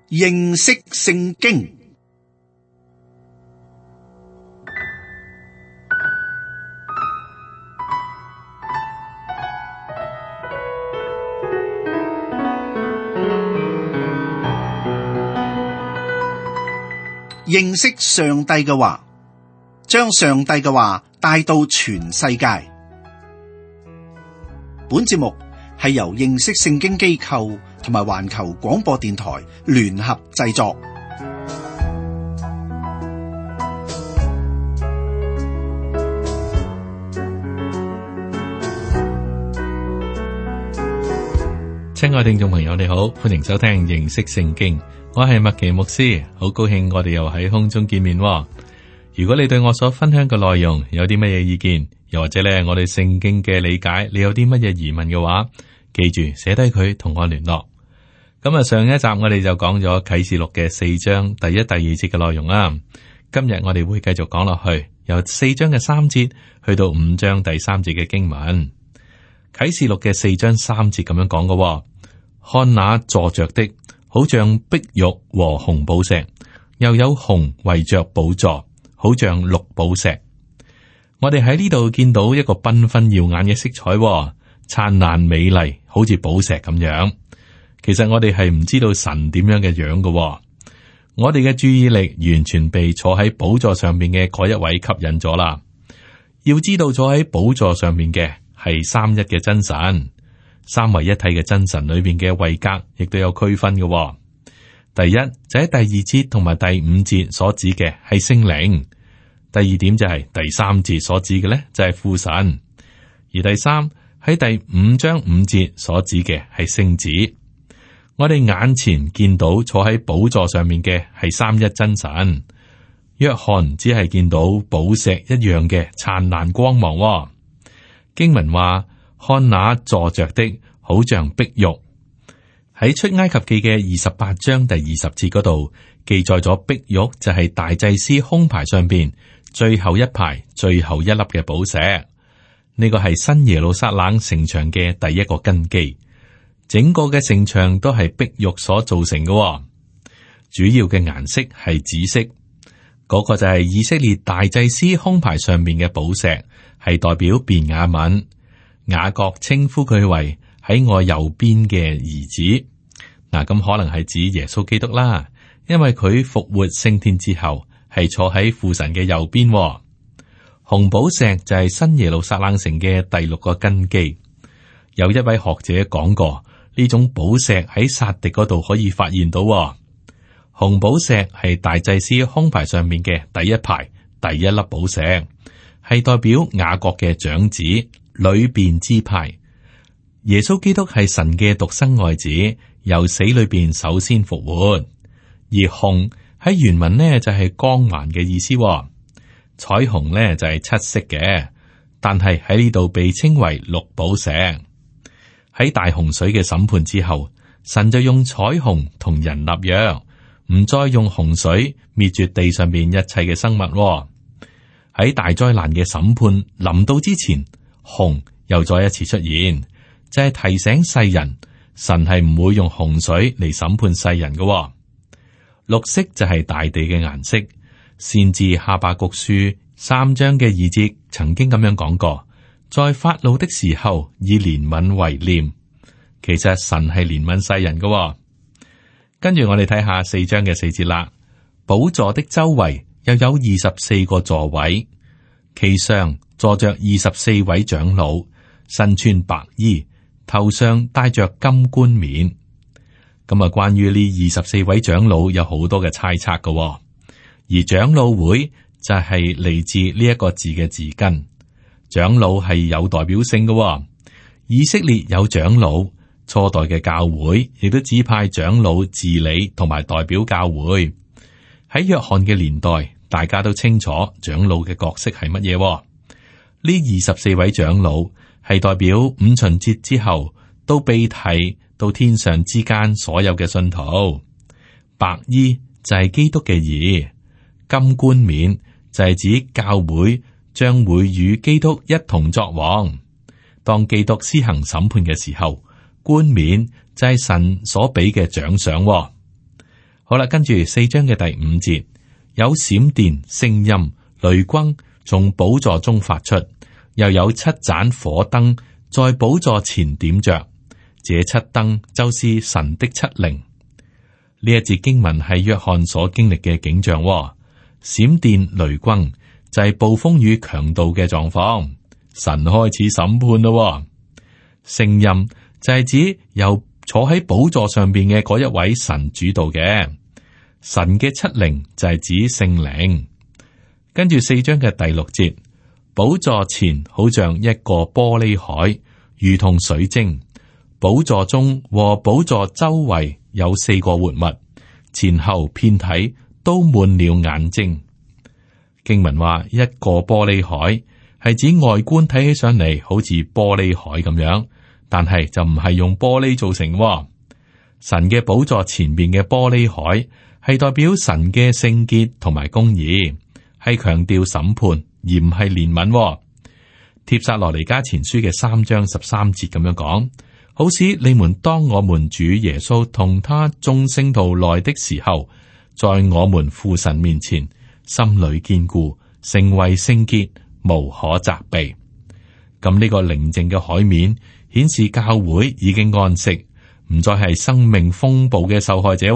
認識聖經。認識上帝嘅話，將上帝嘅話帶到全世界。本節目係由認識聖經機構同埋環球廣播電台聯合製作。親愛聽眾朋友，你好，歡迎收聽認識聖經。我係麥奇牧師，好高興我哋又喺空中見面。如果你對我所分享嘅內容有啲乜嘢意見，又或者咧我哋聖經嘅理解，你有啲乜嘢疑問嘅話，記住寫低佢同我聯絡。咁啊，上一集我哋就講咗啟示錄嘅4章第1、第2節嘅內容啦。今日我哋會繼續講落去，由4章嘅3節去到5章第3節嘅經文。啟示錄嘅4章3節咁樣講嘅，看那坐着的，好像碧玉和紅寶石，又有紅圍着寶座，好像綠寶石。我哋喺呢度見到一個繽紛耀眼嘅色彩，燦爛美麗，好似寶石咁樣。其實我哋係唔知道神點樣嘅樣嘅，我哋嘅注意力完全被坐喺寶座上面嘅嗰一位吸引咗啦。要知道坐喺寶座上面嘅係三一嘅真神。三位一體嘅真神裏面嘅位格，亦都有區分嘅。第一就喺第2節同埋第5節所指嘅係聖靈，第二點就係第3節所指嘅咧就係父神，而第三喺第5章5節所指嘅係聖子。我哋眼前見到坐喺寶座上面嘅係三一真神，約翰只係見到寶石一樣嘅燦爛光芒。經文話，看那坐着的，好像碧玉。喺出埃及記嘅28章第20節嗰度記載咗碧玉就係大祭司胸牌上邊最後一排最後一粒嘅寶石。呢個係新耶路撒冷城牆嘅第一個根基，整個嘅城牆都係碧玉所造成嘅。主要嘅顏色係紫色，嗰個就係以色列大祭司胸牌上面嘅寶石，係代表便雅憫。雅各稱呼佢為喺我右邊嘅兒子。嗱，咁可能係指耶穌基督啦，因為佢復活升天之後係坐喺父神嘅右邊。紅寶石就係新耶路撒冷城嘅第6個根基。有一位學者講過，呢種寶石喺撒狄嗰度可以發現到。紅寶石係大祭司胸牌上面嘅第一排第一粒寶石，係代表雅各嘅長子，裏邊支派。耶穌基督係神嘅獨生愛子，由死裏邊首先復活。而紅喺原文呢就係光環嘅意思，彩虹呢就係七色嘅，但係喺呢度被稱為綠寶石。喺大洪水嘅審判之後，神就用彩虹同人立約，唔再用洪水滅絕地上面一切嘅生物。喺大災難嘅審判臨到之前，紅又再一次出現，就係提醒世人，神係唔會用洪水嚟審判世人嘅。綠色就係大地嘅顏色。先知哈巴谷書3章嘅2節曾經咁樣講過，在發怒的時候以憐憫為念。其實神係憐憫世人嘅。跟住我哋睇下4章嘅4節啦。寶座的周圍又有24個座位，其上坐着24位長老，身穿白衣，頭上戴着金冠冕。咁啊，關於呢24位長老有好多嘅猜測嘅，而長老會就係嚟自呢一個字嘅字根。長老係有代表性嘅，以色列有長老，初代嘅教會亦都指派長老治理同埋代表教會。喺約翰嘅年代，大家都清楚長老嘅角色係乜嘢。呢24位長老係代表五旬節之後都被提到天上之間所有嘅信徒。白衣就係基督嘅義，金冠冕就係指教會將會與基督一同作王。當基督施行審判嘅時候，冠冕就係神所俾嘅獎賞。好啦，跟住4章嘅第5節，有閃電、聲音、雷轟從寶座中發出，又有7盞火燈在寶座前點着，這7燈就是神的7靈。呢一節經文係約翰所經歷嘅景象，閃電、雷轟就係暴風雨強度嘅狀況，神開始審判咯。聲音就係指由坐喺寶座上邊嘅嗰一位神主導嘅，神嘅7靈就係指聖靈。跟住4章嘅第6節，寶座前好像一個玻璃海，如同水晶。寶座中和寶座周圍有4個活物，前後遍體都滿了眼睛。經文話一個玻璃海係指外觀睇起上嚟好似玻璃海咁樣，但係就唔係用玻璃造成。神嘅寶座前面嘅玻璃海係代表神嘅聖潔同埋公義，係強調審判而唔係憐憫。帖撒羅尼迦前書嘅3章13節咁樣講，好使你們當我們主耶穌同他眾聖徒來的時候，在我們父神面前心裏堅固，成為聖潔，無可責備。咁呢個寧靜嘅海面顯示教會已經安息，唔再係生命風暴嘅受害者，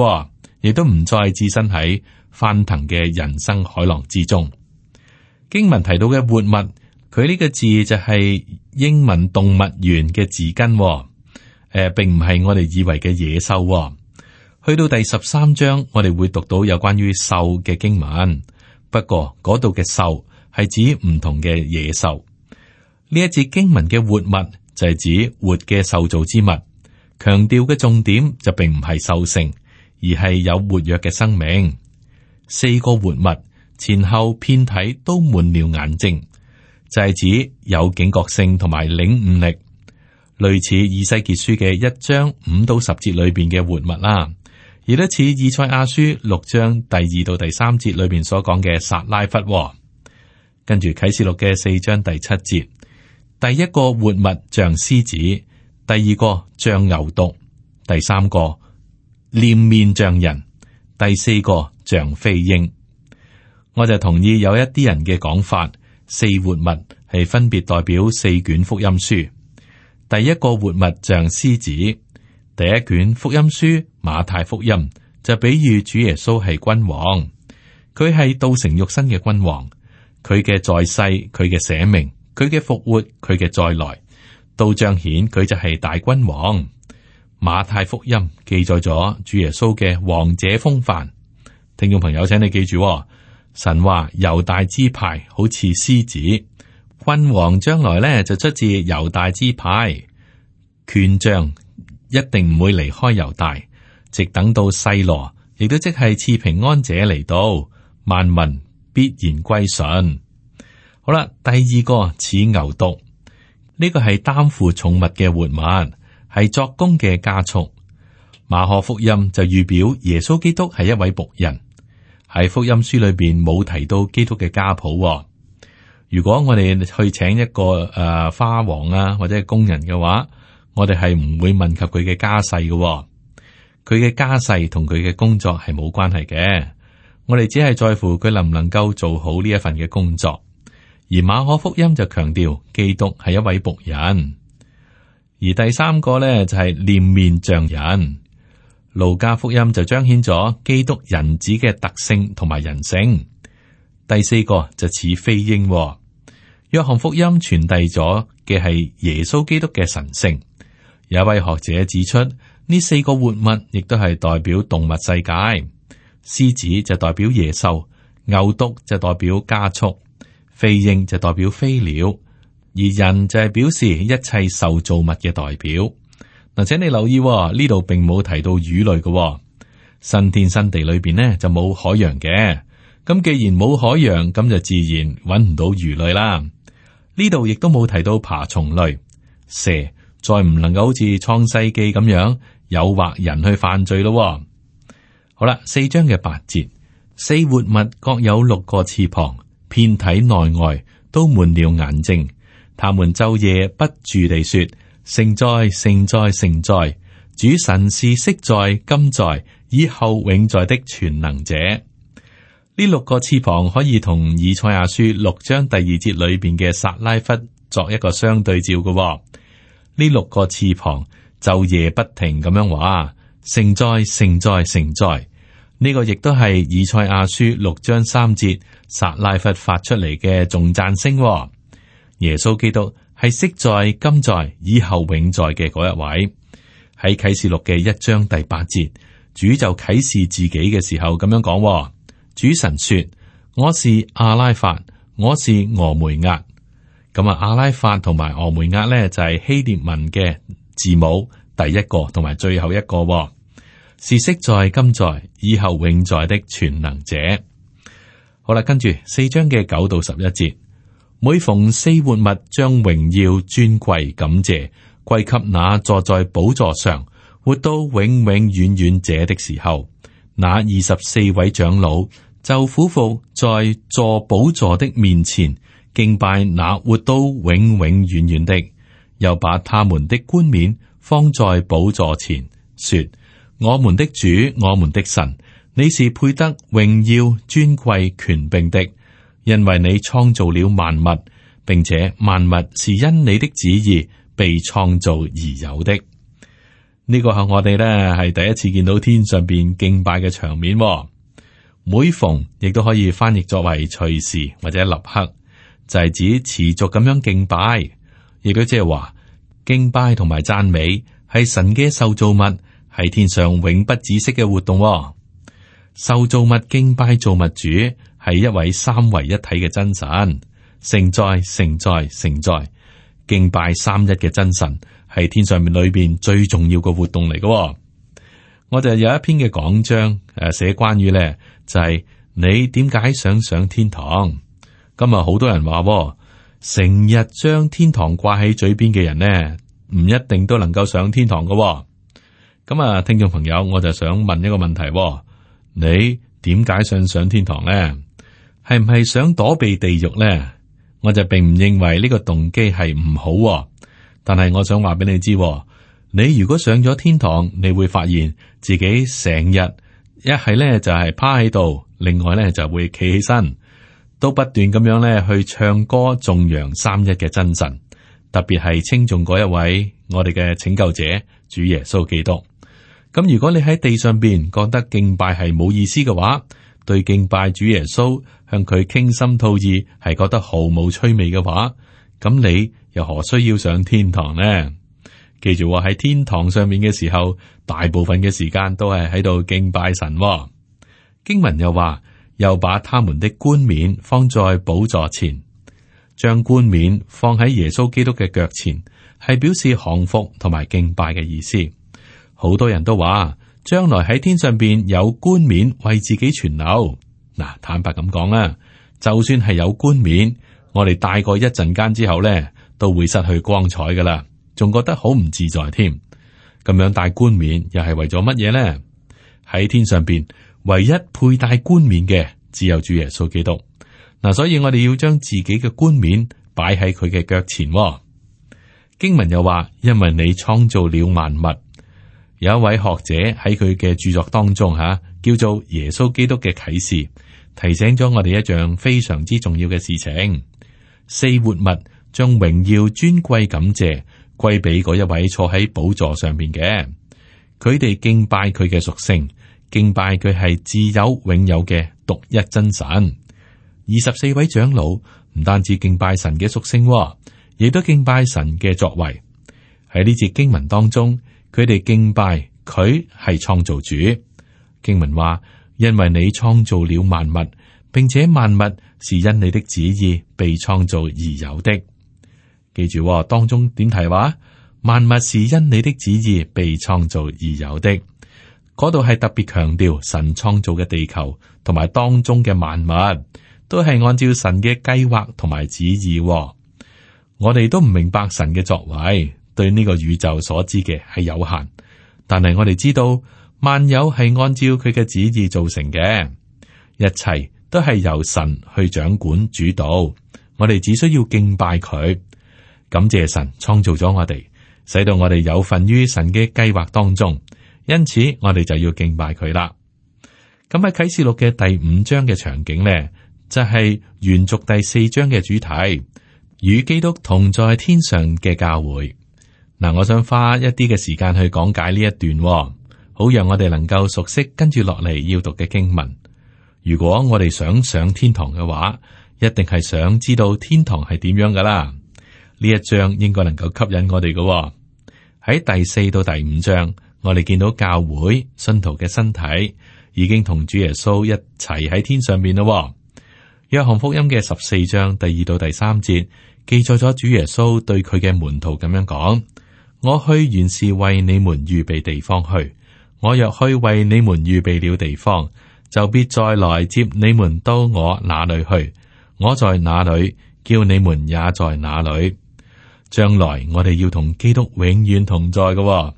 亦都唔再置身喺翻騰嘅人生海浪之中。經文提到嘅活物，佢呢個字就係英文動物園嘅字根，並唔係我哋以為嘅野獸。去到第13章，我哋會讀到有關於獸嘅經文，不過嗰度嘅獸係指唔同嘅野獸。呢一節經文嘅活物就係指活嘅受造之物，強調嘅重點就並唔係獸性，而係有活躍嘅生命。4個活物前後遍體都滿了眼睛，就係指有警覺性同埋領悟力，類似以西結書嘅1章5到10節裏邊嘅活物啦，亦都似以賽亞書6章第2到第3節裏邊所講嘅撒拉弗。跟住啟示錄嘅4章第7節，第一個活物像獅子，第二個像牛犢，第三個臉面像人，第四個像飛鷹。我就同意有一啲人嘅講法，4活物係分別代表4卷福音書。第一個活物像獅子，第一卷福音書馬太福音就比喻主耶穌係君王，佢係道成肉身嘅君王，佢嘅在世，佢嘅捨命，佢嘅復活，佢嘅再來，都彰顯佢就係大君王。馬太福音記載咗主耶穌嘅王者風範。聽眾朋友，請你記住，神話猶大支派好似獅子，君王將來呢就出自猶大支派，權杖一定唔會離開猶大，直等到細羅，亦都即係賜平安者嚟到，萬民必然歸順。好啦，第二個似牛犢，呢個係擔負重物嘅活物，係作工嘅家畜。馬可福音就預表耶穌基督係一位僕人。喺福音書裏邊冇提到基督嘅家譜。如果我哋去請一個花王啊或者係工人嘅話，我哋係唔會問及佢嘅家世嘅。佢嘅家世同佢嘅工作係冇關係嘅。我哋只係在乎佢能唔能夠做好呢一份嘅工作。而馬可福音就強調基督係一位僕人。而第三個咧就係臉面像人。路加福音就彰顯咗基督人子嘅特性同埋人性。第四個就似飛鷹。約翰福音傳遞咗嘅係耶穌基督嘅神性。有一位學者指出，呢4個活物亦都係代表動物世界。獅子就代表野獸，牛犢就代表家畜，飛鷹就代表飛鳥，而人就係表示一切受造物嘅代表。嗱，請你留意呢度並冇提到魚類嘅。新天新地裏邊呢就冇海洋嘅。咁既然冇海洋，咁就自然揾唔到魚類啦。呢度亦都冇提到爬蟲類，蛇再唔能夠好似創世記咁樣誘惑人去犯罪咯。好啦，4章嘅8節，4活物各有6個翅膀，遍體內外都滿了眼睛，他們晝夜不住地說：聖哉，聖哉，聖哉！主神是昔在、今在，以後永在的全能者。呢六個翅膀可以同以賽亞書6章第2節裏邊嘅撒拉弗作一個相對照嘅、哦。呢六個翅膀晝夜不停咁樣話：聖哉，聖哉，聖哉！呢個亦都係以賽亞書6章3節撒拉弗發出嚟嘅頌讚聲、哦。耶穌基督係昔在、今在、以後永在嘅嗰一位。喺啟示錄嘅1章第8節，主就啟示自己嘅時候咁樣講、哦。主神說：我是阿拉法，我是俄梅厄。咁啊，阿拉法同埋俄梅厄咧就係希臘文嘅字母第一個同埋最後一個、哦，是昔在、今在、以後永在的全能者。好啦，跟住4章嘅9到11節，每逢四活物將榮耀、尊貴、感謝歸給那坐在寶座上活到永永遠遠者的時候，那24位長老就俯伏在坐寶座的面前，敬拜那活到永永遠遠的，又把他們的冠冕放在寶座前，說：我們的主，我們的神，你是配得榮耀、尊貴、權柄的，因為你創造了萬物，並且萬物是因你的旨意被創造而有的。呢個係我哋咧係第一次見到天上邊敬拜嘅場面、哦。每逢亦都可以翻譯作為隨時或者立刻，就係指持續咁樣敬拜，亦都即係話敬拜同埋讚美係神嘅受造物，係天上永不止息嘅活動、哦。受造物敬拜造物主係一位三位一體嘅真神，聖哉，聖哉，聖哉！敬拜三一嘅真神係天上面裏邊最重要嘅活動嚟嘅、哦。我就有一篇嘅講章寫關於咧，就係你點解想上天堂？今日好多人話，成日將天堂掛喺嘴邊嘅人呢，唔一定都能夠上天堂嘅、哦。咁啊，聽眾朋友，我就想問一個問題、哦：你點解想上天堂呢？係唔係想躲避地獄呢？我就並唔認為呢個動機係唔好、哦，但係我想話俾你知、哦，你如果上咗天堂，你會發現自己成日一係咧就係趴喺度，另外咧就會企起身，都不斷咁樣咧去唱歌頌揚三一嘅真神，特別係稱頌嗰一位我哋嘅拯救者主耶穌基督。咁如果你喺地上邊覺得敬拜係冇意思嘅話，對敬拜主耶穌向佢傾心吐意係覺得毫無趣味嘅話，咁你又何需要上天堂呢？記住喺天堂上面嘅時候，大部分嘅時間都係喺度敬拜神、哦。經文又話，又把他們的冠冕放在寶座前，將冠冕放喺耶穌基督嘅腳前，係表示降服同埋敬拜嘅意思。好多人都話，將來喺天上邊有冠冕為自己存留。嗱，坦白咁講啦，就算係有冠冕，我哋戴過一陣間之後咧，都會失去光彩噶啦，仲覺得好唔自在添。咁樣戴冠冕又係為咗乜嘢咧？喺天上邊唯一佩戴冠冕嘅只有主耶穌基督。嗱，所以我哋要將自己嘅冠冕擺喺佢嘅腳前。經文又話，因為你創造了萬物。有一位學者喺佢嘅著作當中叫做耶穌基督嘅啟示，提醒咗我哋一樣非常之重要嘅事情。四活物將榮耀、尊貴、感謝歸俾嗰一位坐喺寶座上邊嘅，佢哋敬拜佢嘅屬性，敬拜佢係自有永有嘅獨一真神。24位長老唔單止敬拜神嘅屬性，亦都敬拜神嘅作為。喺呢節經文當中，佢哋敬拜佢係創造主。經文話，因為你創造了萬物，並且萬物是因你的旨意被創造而有的。記住，當中點提話，萬物是因你的旨意被創造而有的。嗰度係特別強調神創造嘅地球同埋當中嘅萬物都係按照神嘅計劃同埋旨意。我哋都唔明白神嘅作為，對呢個宇宙所知嘅係有限，但係我哋知道萬有係按照佢嘅旨意造成嘅，一切都係由神去掌管主導，我哋只需要敬拜佢，感謝神創造咗我哋，使到我哋有份於神嘅計劃當中，因此我哋就要敬拜佢啦。咁喺啟示錄嘅第5章嘅場景呢，就係延續第4章嘅主題，與基督同在天上嘅教會。嗱，我想花一啲嘅時間去講解呢一段，好讓我哋能夠熟悉跟住落嚟要讀嘅經文。如果我哋想上天堂嘅話，一定係想知道天堂係點樣噶啦。呢一章應該能夠吸引我哋嘅。喺第4到第5章，我哋見到教會信徒嘅身體已經同主耶穌一齊喺天上邊咯。約翰福音嘅14章第2到第3節記載咗主耶穌對佢嘅門徒咁樣講：我去原是為你們預備地方去，我若去為你們預備了地方，就必再來接你們到我那裏去。我在哪裏，叫你們也在哪裏。將來我哋要同基督永遠同在嘅。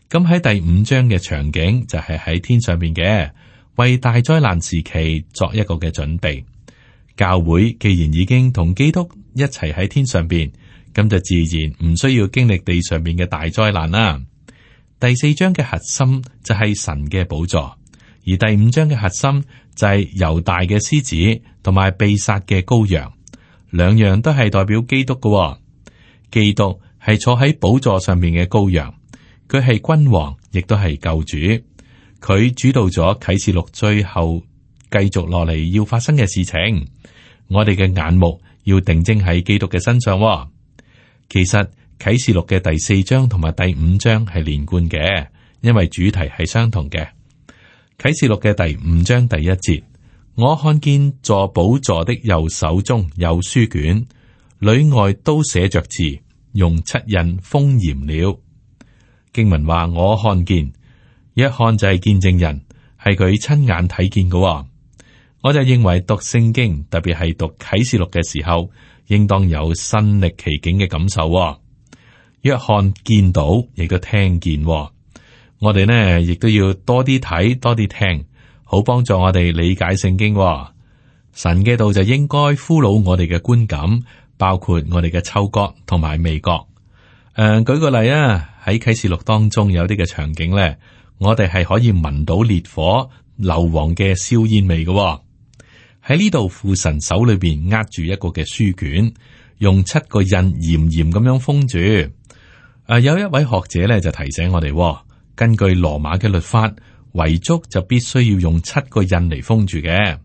咁喺第5章嘅場景就係喺天上邊嘅，為大災難時期作一個嘅準備。教會既然已經同基督一齊喺天上邊，咁就自然唔需要經歷地上邊嘅大災難啦。第4章嘅核心就係神嘅寶座，而第5章嘅核心就係猶大嘅獅子同埋被殺嘅羔羊，兩樣都係代表基督嘅。基督係坐喺寶座上面嘅羔羊，佢係君王，亦都係救主。佢主導咗啟示錄最後繼續落嚟要發生嘅事情。我哋嘅眼目要定睛喺基督嘅身上。其實啟示錄嘅第4章同埋第5章係連貫嘅，因為主題係相同嘅。啟示錄嘅第5章第1節，我看見坐寶座的右手中有書卷，裏外都寫着字，用7印封嚴了。經文話我看見，一看就係見證人，係佢親眼睇見嘅。我就認為讀聖經，特別係讀啟示錄嘅時候，應當有身歷其境嘅感受。約翰見到，亦都聽見。我哋呢，亦都要多啲睇，多啲聽，好幫助我哋理解聖經。神嘅道就應該俘虜我哋嘅觀感，包括我哋嘅嗅覺同埋味覺。舉個例啊，喺啟示錄當中有啲嘅場景咧，我哋係可以聞到烈火硫磺嘅燒煙味嘅。喺呢度，父神手裏邊握住一個嘅書卷，用7個印嚴嚴咁樣封住。有一位學者咧就提醒我哋，根據羅馬嘅律法，遺囑就必須要用7個印嚟封住嘅。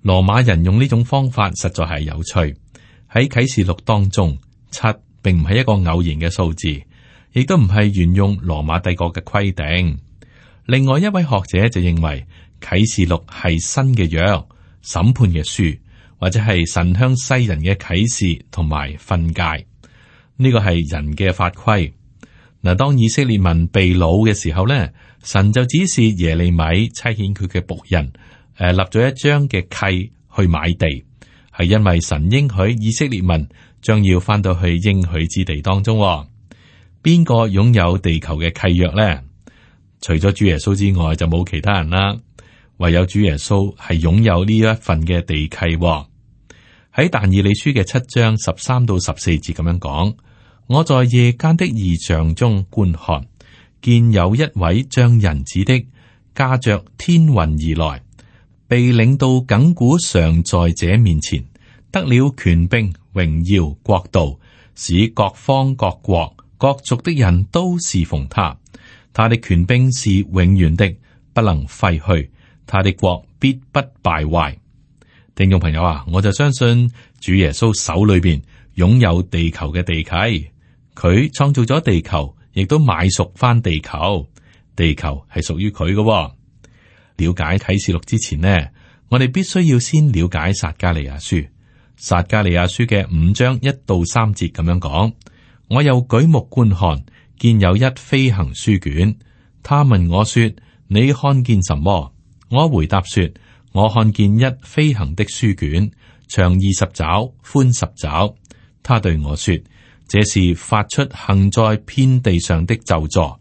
羅馬人用呢種方法實在係有趣。喺啟示錄當中，7並唔係一個偶然嘅數字，亦都唔係沿用羅馬帝國嘅規定。另外一位學者就認為啟示錄係新嘅約、審判嘅書，或者係神向世人嘅啟示同埋訓誡。呢個係人嘅法規。嗱，當以色列民被擄嘅時候咧，神就指示耶利米差遣佢嘅僕人，立咗一張嘅契去買地，係因為神應許以色列民將要翻到去應許之地當中。邊個擁有地球嘅契約咧？除咗主耶穌之外，就冇其他人啦。唯有主耶穌係擁有呢一份嘅地契。喺但以理書嘅7章13到14節咁樣講：我在夜間的異象中觀看，見有一位像人子的駕着天雲而來，被領到亙古常在者面前，得了權柄、榮耀、國度，使各方各國各族的人都侍奉他。他的權柄是永遠的，不能廢去，他的國必不敗壞。聽眾朋友啊，我就相信主耶穌手裏邊擁有地球嘅地契，佢創造咗地球，亦都買贖翻地球，地球係屬於佢嘅。了解啟示錄之前呢，我哋必須要先了解撒迦利亞書。撒迦利亞書嘅5章1到3節咁樣講：我又舉目觀看，見有一飛行書卷。他問我說：你看見什麼？我回答說：我看見一飛行的書卷，長20肘，寬10肘。他對我說：這是發出行在遍地上的咒詛。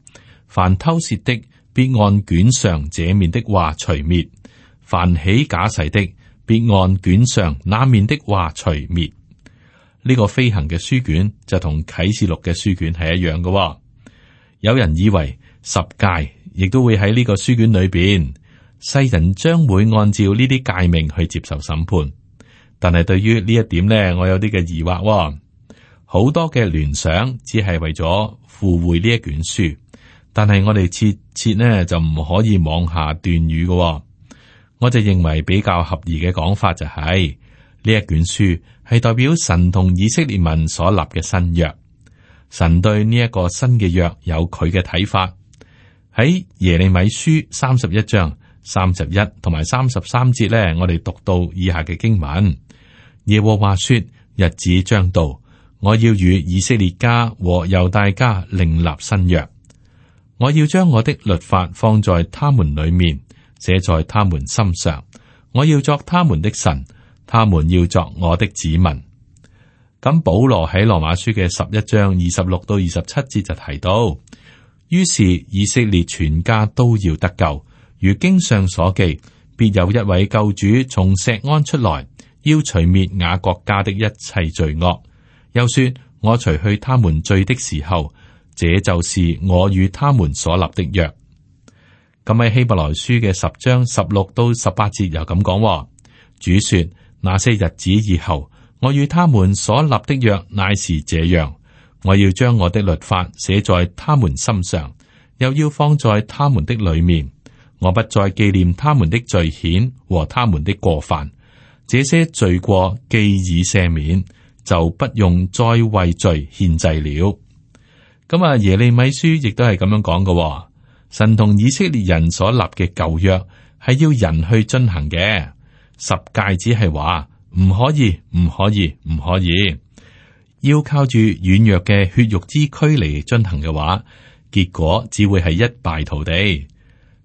凡偷竊的，必按卷上這面的話除滅；凡起假誓的，必按卷上那面的話除滅。呢個飛行嘅書卷就同啟示錄嘅書卷係一樣嘅。有人以為十誡亦都會喺呢個書卷裏邊，世人將會按照呢啲誡命去接受審判。但係對於呢一點呢，我有啲嘅疑惑喎。好多嘅聯想只係為咗附會呢一卷書，但係我哋切切呢就唔可以妄下斷語嘅喎。我就認為比較合宜嘅講法就係呢一卷書係代表神同以色列民所立嘅新約。神對呢一個新嘅約有佢嘅睇法。喺耶利米書31章31同埋33節呢，我哋讀到以下嘅經文：耶和華說，日子將到，我要與以色列家和猶大家另立新約，我要將我的律法放在他們裏面，寫在他們心上，我要作他們的神，他們要作我的子民。咁保羅喺羅馬書嘅11章26到27節就提到，於是以色列全家都要得救，如經上所記，必有一位救主從錫安出來，要除滅雅各家的一切罪惡。又說，我除去他們罪的時候，這就是我與他們所立的約。咁喺希伯來書嘅10章16到18節又咁講，主說，那些日子以後，我與他們所立的約乃是這樣，我要將我的律法寫在他們心上，又要放在他們的裏面，我不再紀念他們的罪愆和他們的過犯，這些罪過既已赦免，就不用再為罪獻祭了。咁耶利米書亦都係咁樣講嘅，神同以色列人所立嘅舊約係要人去遵行嘅，10誡只係話唔可以，唔可以，唔可以，要靠住軟弱嘅血肉之軀嚟遵行嘅話，結果只會係一敗塗地。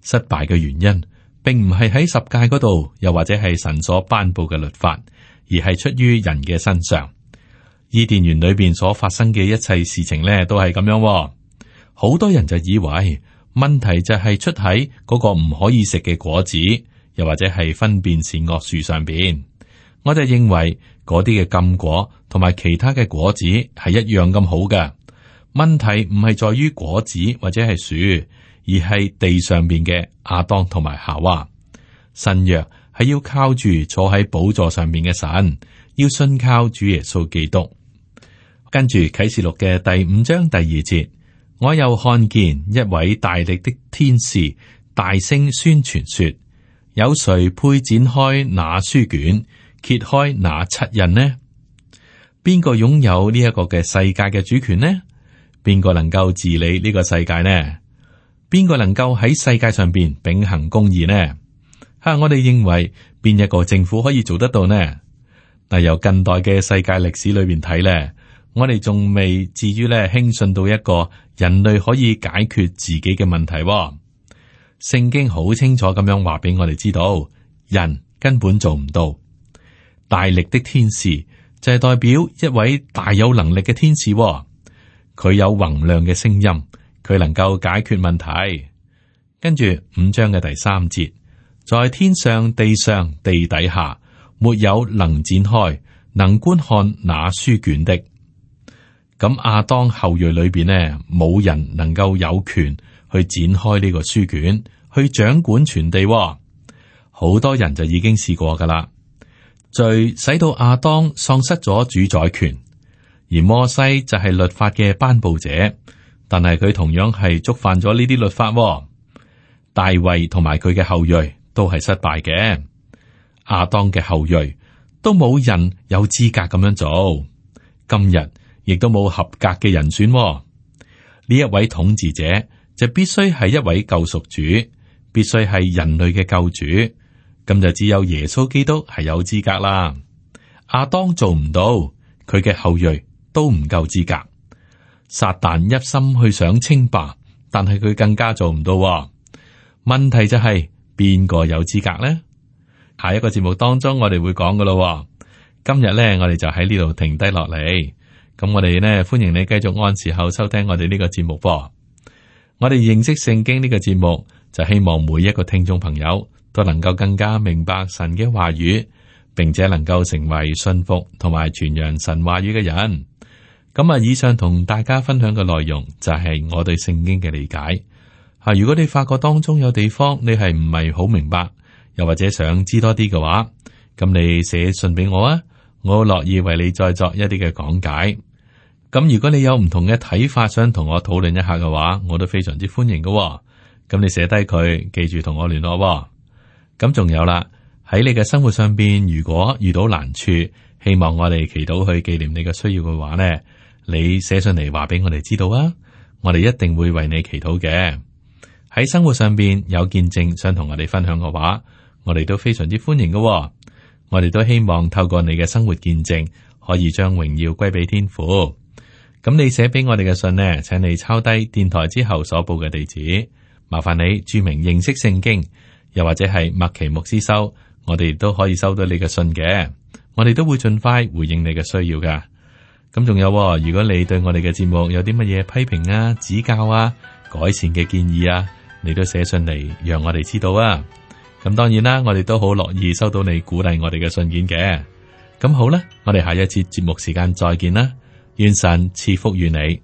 失敗嘅原因，並唔係喺10誡嗰度，又或者係神所頒布嘅律法，而係出於人嘅身上。伊甸園裏邊所發生嘅一切事情呢，都係咁樣。好多人就以為問題就係出喺嗰個唔可以食嘅果子，又或者係分辨善惡樹上邊。我就認為嗰啲嘅禁果同埋其他嘅果子係一樣咁好嘅。問題唔係在於果子或者係樹，而係地上邊嘅亞當同埋夏娃。新約係要靠住坐喺寶座上面嘅神，要信靠主耶穌基督。跟住啟示錄嘅第5章第2節，我又看見一位大力的天使大聲宣傳說，有誰配展開那書卷，揭開那7印呢？邊個擁有呢一個嘅世界嘅主權呢？邊個能夠治理呢個世界呢？邊個能夠喺世界上邊秉行公義呢？我哋認為邊一個政府可以做得到呢？嗱，由近代嘅世界歷史裏邊睇咧，我哋仲未至於咧輕信到一個人類可以解決自己嘅問題。聖經好清楚咁樣話俾我哋知道，人根本做唔到。大力的天使就係代表一位大有能力嘅天使，佢有宏亮嘅聲音，佢能夠解決問題。跟住5章嘅第3節，在天上、地上、地底下，沒有能展開、能觀看那書卷的。咁亞當後裔裏邊呢，冇人能夠有權去展開呢個書卷，去掌管全地。好多人就已經試過噶啦。罪使到亞當喪失咗主宰權，而摩西就係律法嘅頒布者，但係佢同樣係觸犯咗呢啲律法。大衛同埋佢嘅後裔都係失敗嘅，亞當嘅後裔都冇人有資格咁樣做。今日亦都冇合格嘅人選。呢一位統治者就必須係一位救贖主，必須係人類嘅救主。咁就只有耶穌基督係有資格啦。亞當做唔到，佢嘅後裔都唔夠資格。撒旦一心去想稱霸，但係佢更加做唔到。問題就係邊個有資格呢？下一個節目當中我哋會講噶咯。今日呢，我哋就喺呢度停低落嚟。咁我哋呢，歡迎你繼續按時候收聽我哋呢個節目噃。我哋認識聖經呢個節目，就希望每一個聽眾朋友都能夠更加明白神嘅話語，並且能夠成為信服同埋傳揚神話語嘅人。咁以上同大家分享嘅內容就係我對聖經嘅理解。如果你發覺當中有地方你係唔係好明白，又或者想知多啲嘅話，咁你寫信俾我啊，我好樂意為你再作一啲嘅講解。咁如果你有唔同嘅睇法，想同我討論一下嘅話，我都非常之歡迎嘅。咁你寫低佢，記住同我聯絡。咁仲有啦，喺你嘅生活上邊，如果遇到難處，希望我哋祈禱去紀念你嘅需要嘅話呢，你寫上嚟話俾我哋知道啊，我哋一定會為你祈禱嘅。喺生活上邊有見證想同我哋分享嘅話，我哋都非常之歡迎嘅。我哋都希望透過你嘅生活見證，可以將榮耀歸俾天父。咁你寫俾我哋嘅信呢，請你抄低電台之後所報嘅地址，麻煩你注明認識聖經，又或者係麥奇牧師收，我哋都可以收到你嘅信嘅。我哋都會盡快回應你嘅需要噶。咁仲有，如果你對我哋嘅節目有啲乜嘢批評啊、指教啊、改善嘅建議啊，你都寫信嚟讓我哋知道啊。咁當然啦，我哋都好樂意收到你鼓勵我哋嘅信件嘅。咁好啦，我哋下一次節目時間再見啦，願神賜福於你。